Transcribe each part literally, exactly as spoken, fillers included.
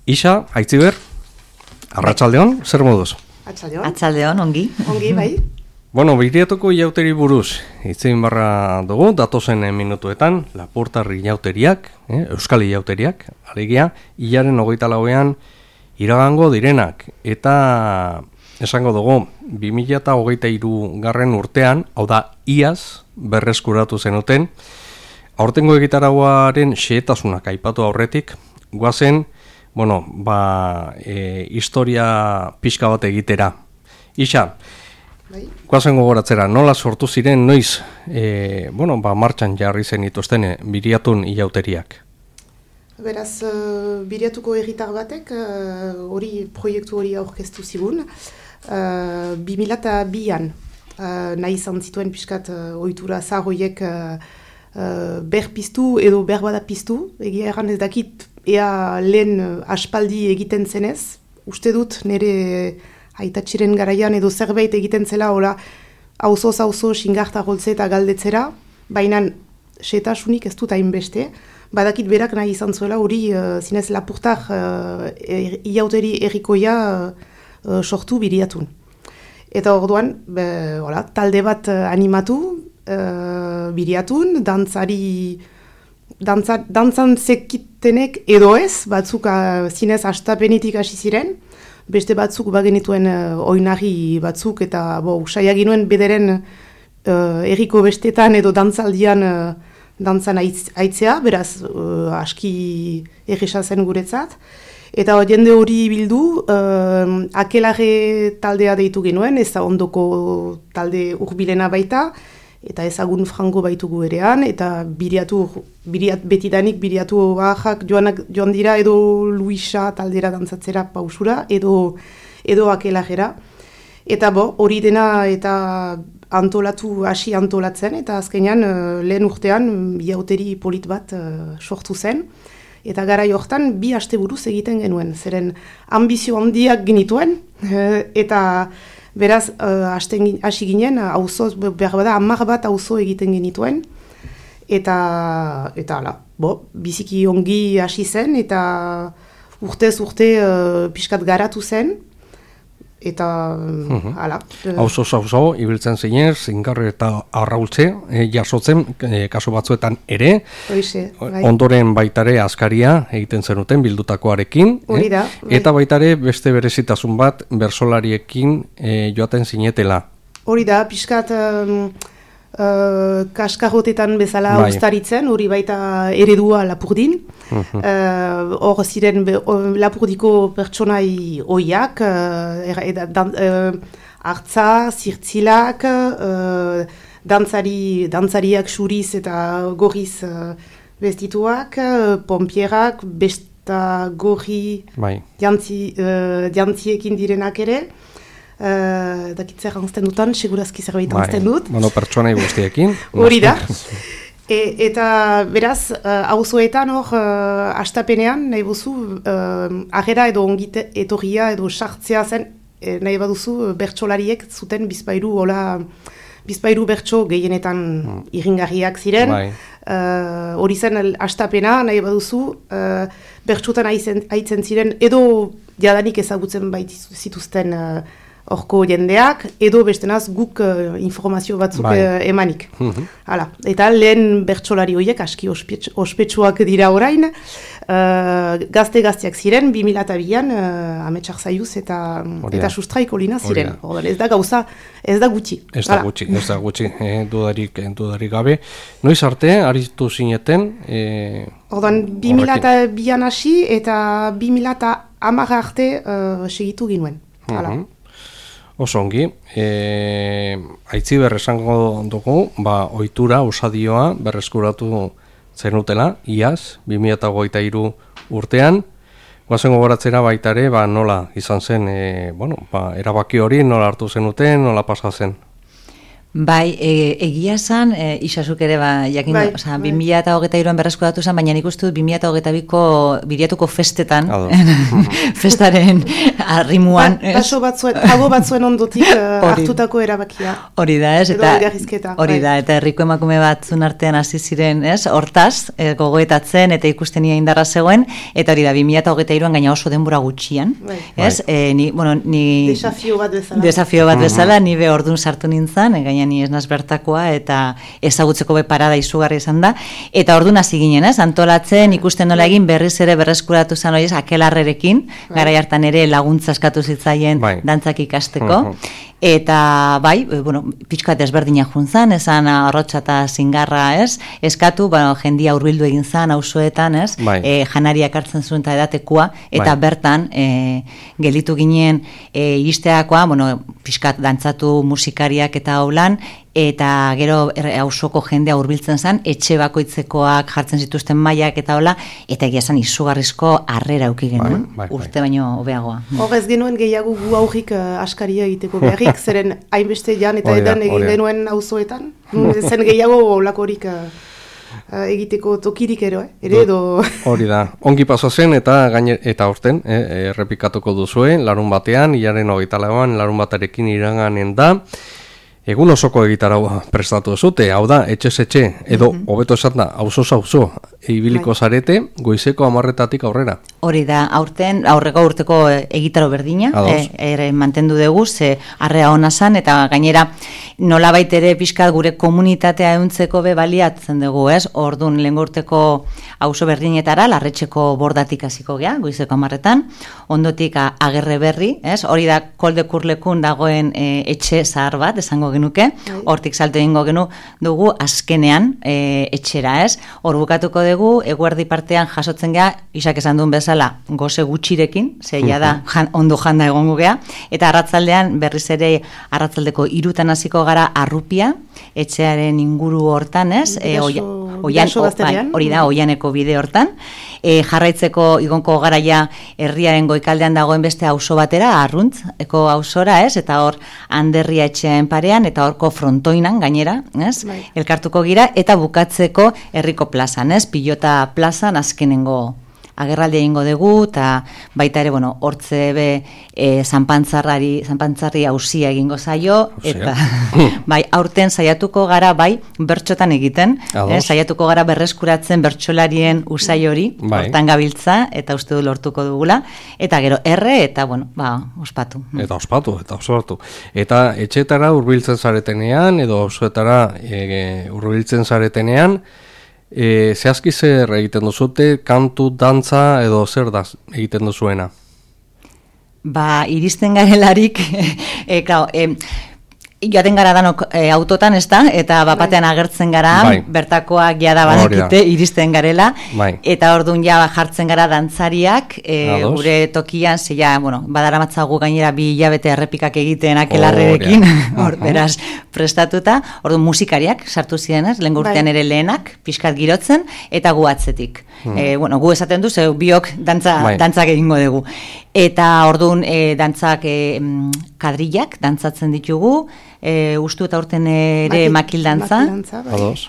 Isa, Aitziber, arratsaldeon, zer moduz? Atxaldeon. Atxaldeon, ongi. Ongi, bai. Bueno, Biriatuko iauteri buruz, hitzein barra dugu, datozen minutuetan, Lapurtarri iauteriak, eh, Euskal iauteriak, alegia, hilaren hogeita lauean iragango direnak, eta esango dugu, bi mila hogeita hiru garren urtean, hau da, iaz, berreskuratu zenuten, aurtengo egitaragoaren xehetasunak aipatu aurretik, guazen, bueno, ba, e, historia pixka bat egitera. Isa, bai. Guazen gogoratzera, nola sortu ziren, noiz, e, bueno, ba, martxan jarri zen ituzten Biriatun iauteriak? Beraz, uh, Biriatuko herritar batek, hori uh, proiektu hori aurkeztu zigun, uh, bi mila bian uh, nahi izan zituen pixkat uh, ohitura zahoiek uh, uh, berpiztu edo berbada piztu, egia erran ez dakit ea lehen uh, aspaldi egiten zenez, uste dut nire aitatxiren garaian edo zerbait egiten zela, hola, auzo-auzo xingarta goltze eta galdetzera, baina setasunik ez dut hainbeste, badakit berak nahi izan zuela hori uh, zinez Lapurtar uh, er, iauteri errikoia uh, sortu Biriatun. Eta orduan, be, hola, talde bat uh, animatu uh, Biriatun, dantzari, dantza, dantzan zekitenek edo ez, batzuk uh, zinez astapenetik hasi ziren, beste batzuk bagenituen uh, oinarri batzuk, eta bo, usaiak ginuen bederen uh, erriko bestetan edo dantzaldian uh, dantzan aitz, aitzea, beraz uh, aski erresa zen guretzat. Eta jende hori bildu, uh, akelare taldea deitu genuen, ez da ondoko talde urbilena baita, eta ezagun frango baitugu erean, eta biriatu, biriat, betidanik biriatu ahak joanak, joan dira edo Luisa taldera dantzatzera pausura, edo, edo akelarera. Eta bo, hori dena eta antolatu, hasi antolatzen, eta azkenean uh, lehen urtean iauteri polit bat uh, sortu zen. Eta gara jortan bi asteburuz egiten genuen, zeren ambizio handiak genituen, eta beraz uh, hasi ginen, auzo, behar bada, hamar bat auzo egiten genituen, eta, eta ala, bo, biziki ongi hasi zen, eta urtez urte uh, pixkat garatu zen, eta uh-huh. Hala. Auzo auzo ibiltzen zinen, zingarri eta arraultze, e, jasotzen, e, kasu batzuetan ere, Oixe, bai. Ondoren baitare askaria egiten zenuten bildutakoarekin, Hori da, eh? Bai. Eta baitare beste berezitasun bat bersolariekin e, joaten zinetela. Hori da, pixkat um, uh, kaskarrotetan bezala bai. Ustaritzen, hori baita eredua Lapurdin. Uh-huh. Uh, hor ziren be, uh, Lapurdiko pertsonai oiak, uh, er, dan, uh, hartza, zirtzilak, uh, dantzari, dantzariak xuriz eta gorriz uh, bestituak, uh, pompierak, besta gorri bai. jantzi, uh, jantziekin direnak ere. Uh, dakitzer anzten dutan, segurazki zerbait anzten dut. Bueno, pertsonai guztiekin. Hori da. E, eta beraz, uh, auzoetan hor, uh, astapenean, nahi buzu, uh, agera edo ongite etorria edo sartzea zen, e, nahi baduzu, bertsolariek zuten bizpairu, hola, bizpairu bertso gehienetan hmm. iringarriak ziren. Bai. Uh, hori zen astapena, nahi baduzu, uh, bertsotan aitzen ziren, edo jadanik ezagutzen bait zituzten uh, horko jendeak, edo bestenaz guk uh, informazio batzuk bai. uh, emanik. Mm-hmm. Hala. Eta lehen bertsolari horiek aski ospets, ospetsuak dira orain, uh, gazte-gazteak ziren, bi mila bian uh, ametsak zaiuz eta, eta sustraiko lina ziren. Ordan, ez da gauza, ez da gutxi. Ez da gutxi, ez da gutxi, eh, dudarik, dudarik gabe. Noiz arte, aritu zineten? Eh, Ordan, bi mila bian hasi eta bi mila hamar arte uh, segitu ginuen. Hala. Mm-hmm. Osongi, e, Aitziber esango dugu, ba, ohitura, usadioa, berreskuratu zenutela, iaz, bi mila hogeita hiru urtean, guazen gogoratzera baitare, ba, nola izan zen, e, bueno, ba, erabaki hori, nola hartu zenuten, nola pasa zen? Bai, e, egia zan, e, isasuk ere, ba, jakin, bai, oza, bai. bi mila hogeita hiruan berreskuratu zen, baina nik uste dut bi mila hogeita biko biriatuko festetan, festaren arrimuan. Ba, baso batzuen, pago batzuen ondotik uh, hartutako erabakia. Hori da, ez? Eta Eta, hori da, eta herriko emakume batzun artean hasi ziren, ez? Hortaz, e, gogoetatzen eta ikustenia indarra zegoen, eta hori da, bi mila hogeita hiruan gaina oso denbora gutxian, bai. ez? E, ni, bueno, ni... Desafio bat bezala. Desafio bat bezala, ni be ordun sartu nintzen, e, gaina ni ez naz bertakoa, eta ezagutzeko be parada izugarri izan da, eta ordun hasi ginen, ez? Antolatzen, ikusten nola egin berriz ere berreskuratu zen hori, akelarrerekin, garai hartan ere laguntza eskatu zitzaien bai. dantzak ikasteko, eta bai, bueno, pixka desberdina juntzan, esan arrotxa eta zingarra, ez? Eskatu, bueno, jendia hurbildu egin zan, auzoetan, ez? Bai. E, janariak hartzen zuen eta edatekoa, eta bai. bertan, e, gelitu ginen e, iristeakoa, bueno, pixkat dantzatu musikariak eta haulan, eta gero auzoko jendea hurbiltzen zen, etxe bakoitzekoak jartzen zituzten mailak eta hola, eta egia zen izugarrizko harrera auki genuen, bai, bai, urte baino hobeagoa. Hor ez genuen gehiago gu aurrik uh, askaria egiteko beharrik, zeren hainbeste jan eta edan egin genuen auzoetan, zen gehiago olakorik uh, uh, egiteko tokirik ero, eh? ere edo... Hori da, ongi paso zen eta gaine, eta orten, eh, errepikatuko duzue, larun batean, hilaren hogeita lauan, larun batarekin iraganen da, egun osoko egitarau prestatu zute, hau da, etxez etxe, edo hobeto esan da, auzoz auzo, ibiliko zarete, goizeko hamarretatik aurrera. Hori da, aurten, aurreko urteko egitaro berdina, e, ere mantendu dugu, ze arrea ona zan, eta gainera nolabait ere pixkat gure komunitatea ehuntzeko be baliatzen dugu, ez? Ordun lehengo urteko auzo berdinetara, larretxeko bordatik hasiko gea, goizeko hamarretan, ondotik agerre berri, ez? Hori da, koldekurlekun dagoen e, etxe zahar bat, esango genuke, hortik salto egingo genu dugu azkenean e, etxera, ez? Hor bukatuko dugu, eguerdi partean jasotzen gea, isak esan duen bezala, goze gutxirekin, zeia da, jan, ondo janda egongo gea, eta arratzaldean berriz ere arratzaldeko irutan hasiko gara arrupia, etxearen inguru hortan, ez? E, oia, oian, o, bai, hori da, oianeko bide hortan, e, jarraitzeko igonko garaia herriaren goikaldean dagoen beste auzo batera, arruntz, eko auzora, ez? Eta hor, Anderria etxean parean, eta horko frontoinan gainera, ez? Bai. Elkartuko gira, eta bukatzeko herriko plazan, ez? Pilota plazan azkenengo agerraldi egingo dugu, eta baita ere, bueno, hortze be e, zanpantzarrari, zanpantzarri ausia egingo zaio, eta bai, aurten saiatuko gara, bai, bertxotan egiten, eh, saiatuko gara berreskuratzen bertxolarien usai hori, bai. Hortan gabiltza, eta uste du lortuko dugula, eta gero erre, eta, bueno, ba, ospatu. Eta ospatu, eta ospatu. Eta etxetara hurbiltzen zaretenean, edo auzoetara e, hurbiltzen zaretenean, E, zehazki zer egiten duzute, kantu, dantza edo zer da egiten duzuena? Ba, iristen garelarik, e, klar, e, joaten gara danok e, autotan, ez da, eta bapatean agertzen gara, bai. Bertakoak jada badakite, iristen garela, bai. Eta orduan ja jartzen gara dantzariak, e, gure tokian, ze ja, bueno, badaramatzagu gainera bi hilabete errepikak egiten akelarrerekin, hor, beraz, prestatuta, orduan musikariak sartu ziren, ez, lehen urtean ere lehenak, pixkat girotzen, eta gu atzetik. Hmm. E, bueno, gu esaten du, ze biok dantza, bai. Dantzak egingo dugu. Eta orduan e, dantzak e, kadrillak dantzatzen ditugu, e, ustu eta urten ere makil dantza,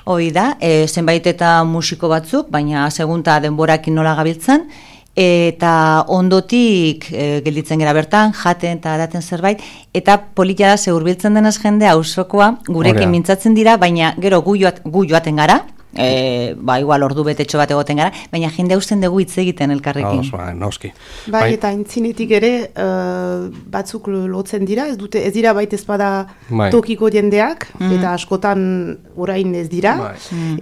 hoi da, e, zenbait eta musiko batzuk, baina segunta denborakin nola gabiltzen, eta ondotik e, gelditzen gara bertan, jaten eta daten zerbait, eta politia da ze hurbiltzen denez jende auzokoa gurekin mintzatzen dira, baina gero gu, joat, gu joaten gara, E, ba, igual ordu betetxo bat egoten gara, baina jende hausten dugu hitz egiten elkarrekin. Ba, nauski. Bai, eta intzinetik ere uh, batzuk lotzen dira, ez dute, ez dira baita ezpada bai. Tokiko jendeak, mm. eta askotan orain ez dira, bai.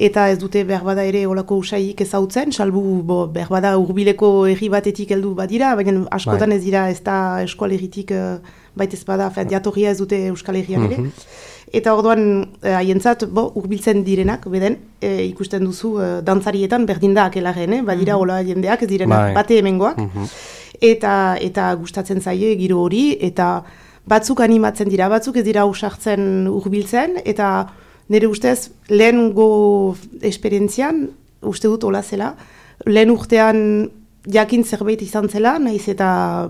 Eta ez dute berbada ere olako usaik ezautzen, salbu bo, berbada urbileko herri batetik heldu badira, baina askotan bai. Ez dira ez da eskualeritik uh, baita ezpada, jatorria ez dute Euskal Herrian ere. Mm-hmm. Eta orduan haientzat eh, hurbiltzen direnak, beden, e, ikusten duzu e, dantzarietan berdin da akelaren, eh? Badira mm-hmm. Ola jendeak, ez direnak bai. Bate hemengoak, mm-hmm. eta, eta gustatzen zaie giro hori, eta batzuk animatzen dira, batzuk ez dira usartzen hurbiltzen, eta nire ustez lehen go esperientzian, uste dut hola zela, lehen urtean jakin zerbait izan zela, nahiz eta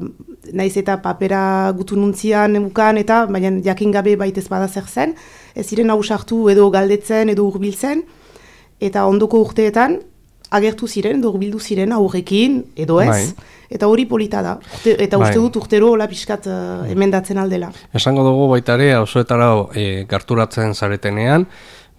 naiz eta papera gutu nuntzian emukan eta, baina jakin gabe baitez bada zer zen, ez ziren ausartu edo galdetzen edo hurbiltzen, eta ondoko urteetan agertu ziren, edo hurbildu ziren aurrekin edo ez, bai. Eta hori polita da, urte, eta bai. Uste dut urtero hola pixkat uh, emendatzen aldela. Esango dugu baita ere, auzoetara e, gerturatzen zaretenean,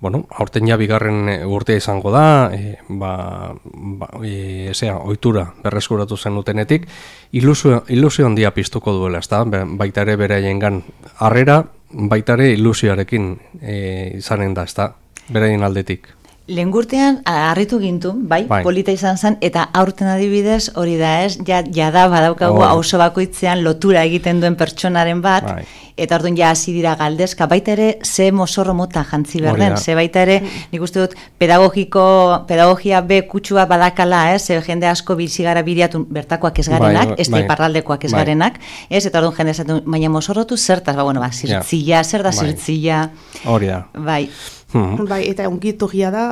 bueno, aurten ja bigarren urtea izango da, e, ba, ba, e, ezea, ohitura berreskuratu zenutenetik, ilusio, ilusio handia piztuko duela, ezta? Baita ere beraiengan harrera, baita ere ilusioarekin e, izanen da, ezta? Beraien aldetik. Lehengurtean harritu gintu, bai, bai, polita izan zen, eta aurten adibidez hori da ez, ja, ja da badaukagu auzo bakoitzean lotura egiten duen pertsonaren bat, bai. Eta orduan ja hasi dira galdezka, baita ere ze mozorro mota jantzi berden, ze baita ere, nik uste dut, pedagogiko, pedagogia be kutsua badakala, ez, ze jende asko bizigara biriatu bertakoak ez garenak, bai, ez bai. Iparraldekoak ez bai. Garenak, ez, eta orduan jende esaten, baina mozorrotu zertaz, ba, bueno, ba, zirtzia, zer da zirtzia, hori da, bai, Hmm. Bai, eta ongit horria da,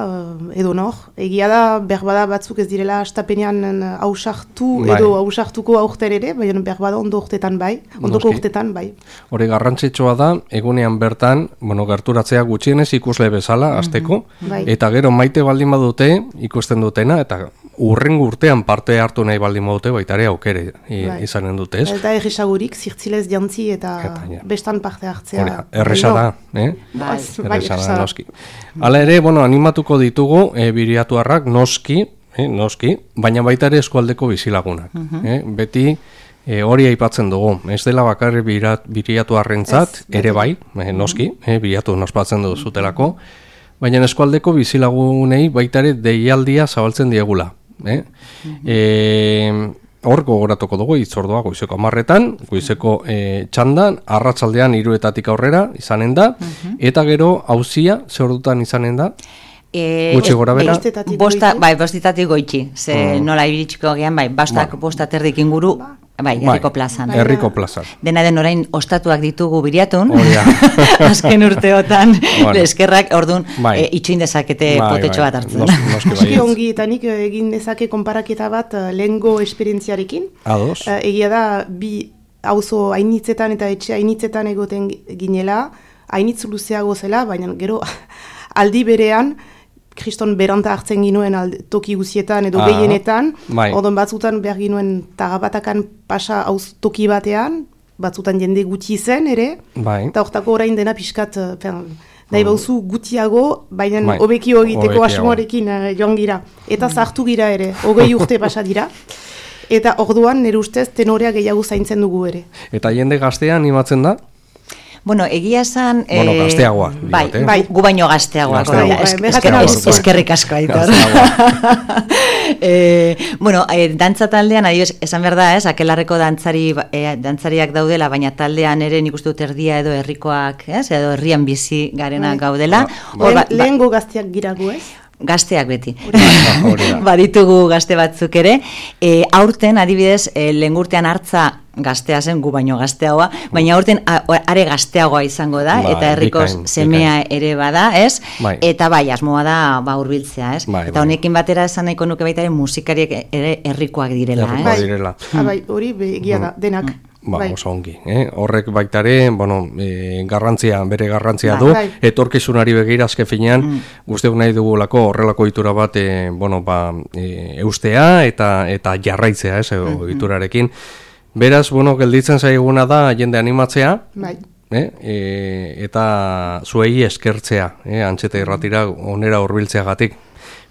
edo nor, egia da, berbada batzuk ez direla astapenean hausartu bai. Edo hausartuko aurten ere, baina berbada ondo urtetan bai, ondoko urtetan bai. Hori garrantzitsua da, egunean bertan, bueno, gerturatzea gutxienez ikusle bezala, azteko, mm-hmm. bai. Eta gero maite baldin badute, ikusten dutena, eta urrengo urtean parte hartu nahi baldin badute, baita ere aukere bai. Izanen dute, ez? Eta erresagurik, zirtzilez jantzi eta, eta ja. Bestan parte hartzea. Hori, erresa da, eh? Bai, erresa da, noski. Hala ere, bueno, animatuko ditugu e, biriatuarrak noski, eh, noski, baina baita ere eskualdeko bizilagunak. Uh-huh. eh? Beti e, hori aipatzen dugu, ez dela bakarri biriatuarrentzat ere bai, eh, noski, eh, biriatu nospatzen dugu zutelako, baina eskualdeko bizilagunei baita ere deialdia zabaltzen diegula. Eh? Uh-huh. E, hor gogoratuko dugu itzordua goizeko hamarretan, goizeko e, txandan, arratsaldean hiruetatik aurrera izanen da, uh-huh. Eta gero auzia ze ordutan izanen da? E, Gutxi gora bera? Bosta, bai, bostitatik goitxi, ze uh-huh. Nola iritsiko gean, bai, bastak bueno. Bosta terdik inguru, bai, herriko plazan. Herriko plazan. Dena den orain ostatuak ditugu biriatun, oh, ja. Azken urteotan, bueno. Eskerrak, orduan, bai. E, itxoin dezakete bai, potetxo bai. Bat hartzen. Noski bai. Ongi eta nik egin dezake konparaketa bat lehengo esperientziarekin. Ados. Uh, egia da, bi auzo hainitzetan eta etxe hainitzetan egoten ginela, hainitz luzeago zela, baina gero aldi berean, kriston beranta hartzen ginuen alde, toki guzietan edo ah, gehienetan, bai. Odon batzutan behar ginuen tagabatakan pasa hauz toki batean, batzutan jende gutxi zen ere, bai. Eta hortako orain dena pixkat, pen, nahi bauzu gutiago, baina bai. Hobeki egiteko asmoarekin uh, joan gira. Eta zartu gira ere, hogei urte pasa dira. Eta orduan nire ustez tenorea gehiago zaintzen dugu ere. Eta jende gaztea animatzen da? Bueno, egia esan... Bueno, eh, gazteagoa. Bai, digot, eh? Bai, gu baino gazteagoa. Eskerrik asko aitor. eh, bueno, eh, dantza taldean, adioz, esan behar da, ez, akelarreko dantzari, eh, dantzariak daudela, baina taldean ere nik uste dut erdia edo herrikoak, ez, edo herrian bizi garenak bai. Gaudela. Ba, ba, lehengo gazteak giragu, ez? Gazteak beti. Baditugu gazte batzuk ere. E, aurten, adibidez, e, lehengurtean hartza gaztea zen, gu baino gazteagoa, baina aurten a, are gazteagoa izango da, ba, eta herrikoz semea ere bada, ez? Bai. Eta bai, asmoa da ba, hurbiltzea, ez? Bai, eta honekin batera esan nahiko nuke baita ere musikariek ere herrikoak direla, ez? Bai, direla. Ah, bai, hori begia da, denak. Ba, bai. Oso ongi, eh? Horrek baitare, bueno, e, garrantzia, bere garrantzia bai, du, bai. Etorkizunari begira azken finean, mm. Guztiok nahi dugulako horrelako itura bat, e, bueno, ba, e, eustea eta eta jarraitzea, ez, mm-hmm. Iturarekin. Beraz, bueno, gelditzen zaiguna da jende animatzea, bai. eh? e, eta zuei eskertzea, eh? Antxeta irratira onera hurbiltzeagatik.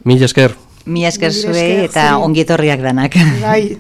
Mil esker. Mil esker zuei eta ongietorriak danak. Bai.